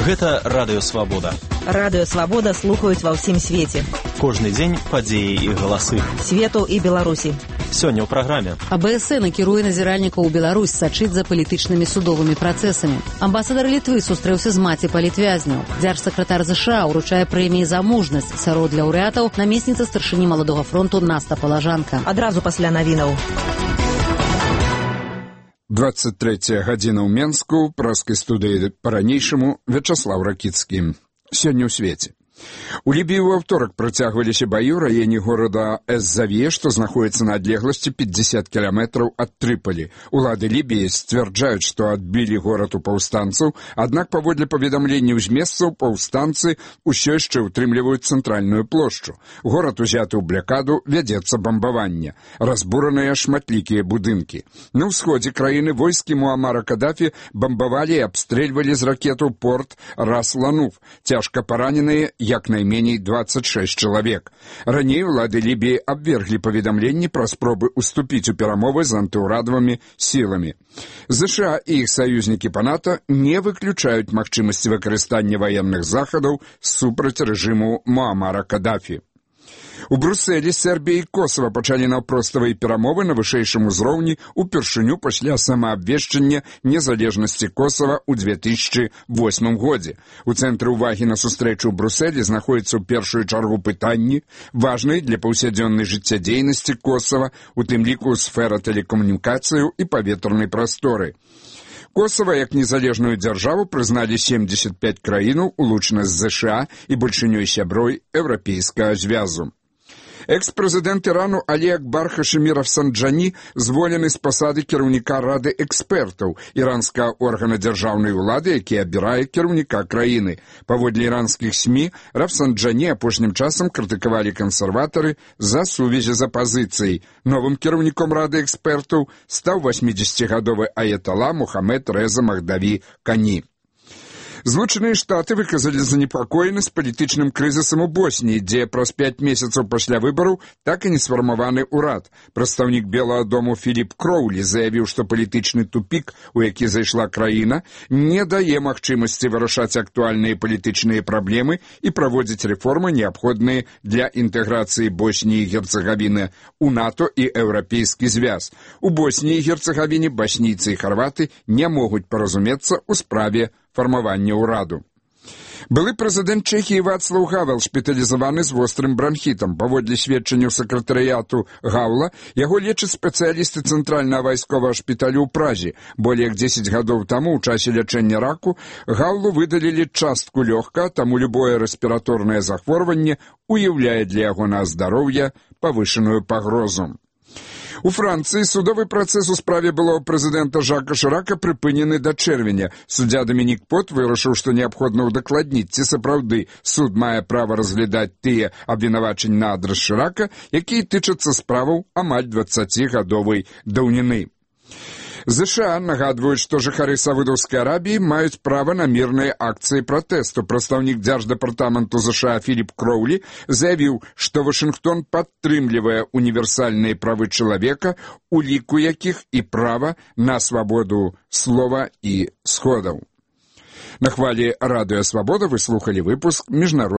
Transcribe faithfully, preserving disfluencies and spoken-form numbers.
Гэта Радыё Свабода. Радыё Свабода слухаюць ва ўсім свеце. Кожны дзень падзеі і галасы. Свету і Беларусі. Сёння ў праграме. А Б С Н накіруе назіральнікаў у Беларусь сачыць за палітычнымі судовымі працэсамі. Амбасадар Літвы сустрэўся з маці палітвязняў. Дзяржсакратар З Ш А ўручае прэміі за мужнасць. Сярод лаўрэатаў намесніца старшыні маладога фронту Наста Палажанка. Адразу пасля навінаў. двадцать третья гадзіна ў Менску, праскай студыі па-ранейшаму Вячаслав Ракіцкі. Сёння ў свеце. У Лібіі ў аўторак працягваліся баі ў раёне горада Эз-Завье, што знаходіцца на адлегласці пятьдесят кіламетраў ад Трыполі. Улады Лібіі сцвярджаюць, што адбілі горад у паўстанцаў, аднак паводле паведамленняў з месцаў паўстанцы ўсё яшчэ ўтрымліваюць цэнтральную плошчу. Горад узяты ў блякаду, вядзецца бамбаванне. Разбураныя шматлікія будынкі. На ўсходзе краіны войскі Муамара Кадафі бамбавалі і абстрэльвалі з ракетаў порт Рас-Лануф. Цяжка параненыя як найменей двадцать шесть чалавек. Раней улады Лібіі абверглі паведамленні пра спробы ўступіць у перамовы з антыўрадавымі сіламі. З Ш А і іх саюзнікі па НАТО не выключаюць магчымасці выкарыстання ваенных захадаў супраць рэжыму Муамара Кадафі. У Брусэлі Сербія і Косава пачалі наўпроставыя перамовы на вышэйшым узроўні упершыню пасля самаабвешчання незалежнасці Косава ў две тысячы восьмым годзе. У цэнтры ўвагі на сустрэчу ў Брусэлі знаходзіцца ў першую чаргу пытанні, важныя для паўсядзённай жыццядзейнасці Косава, у тым ліку сфера тэлекамунікацыяў і паветранай прасторы. Косава як незалежную дзяржаву прызналі семьдесят пять краінаў, улучана з З Ш А і большынёй сяброй Еўрапейскага звязу. Экс-прэзідэнт Ірану Алі Акбар Хашемі Рафсанджані зволены з пасады кіраўніка Рады экспертаў іранскага органа дзяржаўнай улады, які абірае кіраўніка краіны. Паводле іранскіх СМІ, Рафсанджані апошнім часам крытыкавалі кансерватары за сувязі з апазіцыяй. Новым кіраўніком Рады экспертаў стаў восьмідзесяцігадовы аятала Мухаммед Рэза Махдаві Кані. Злучаныя Штаты выказалі занепакоенасць палітычным крызісам у Босніі, дзе праз пяць месяцаў пасля выбараў так і не сфармаваны ўрад. Прадстаўнік Белага дому Філіп Кроулі заявіў, што палітычны тупік, у які зайшла краіна, не дае магчымасці вырашаць актуальныя палітычныя праблемы і праводзіць рэформы, неабходныя для інтэграцыі Босніі і Герцагавіны у НАТО і Еўрапейскі звяз. У Босніі і Герцагавіне баснійцы і харваты не могуць паразумецца ў справе фармавання ўраду. Былы прэзідэнт Чэхіі Вацлаў Гавел шпіталізаваны з вострым бранхітам. Паводле сведчанняў сакратарыяту Гаўла, яго лечаць спецыялісты цэнтральнага вайсковага шпіталю ў Празе. Болей як дзесяць гадоў таму ў часе лячэння раку Гаўлу выдалілі частку лёгка, таму любое рэспіраторнае захворванне уяўляе для ягонага здароўя павышаную пагрозу. У Францыі судовы працэс у справе былого прэзідэнта Жака Шырака прыпынены да чэрвеня. Суддзя Дамінік Пот вырашыў, што неабходна ўдакладніць, ці сапраўды суд мае права разглядаць тыя абвінавачанні на адрас Шырака, якія тычацца справаў амаль дваццацігадовай даўніны. З Ш А нагадваюць, што жыхары Саудаўскай Арабіі маюць права на мірныя акцыі пратэсту. Прадстаўнік дзярждэпартаменту З Ш А Філіп Кроулі заявіў, што Вашынгтон падтрымлівае універсальныя правы чалавека, у ліку якіх і права на свабоду слова і сходаў. На хвалі Радыё Свабода вы слухалі выпуск міжнароднага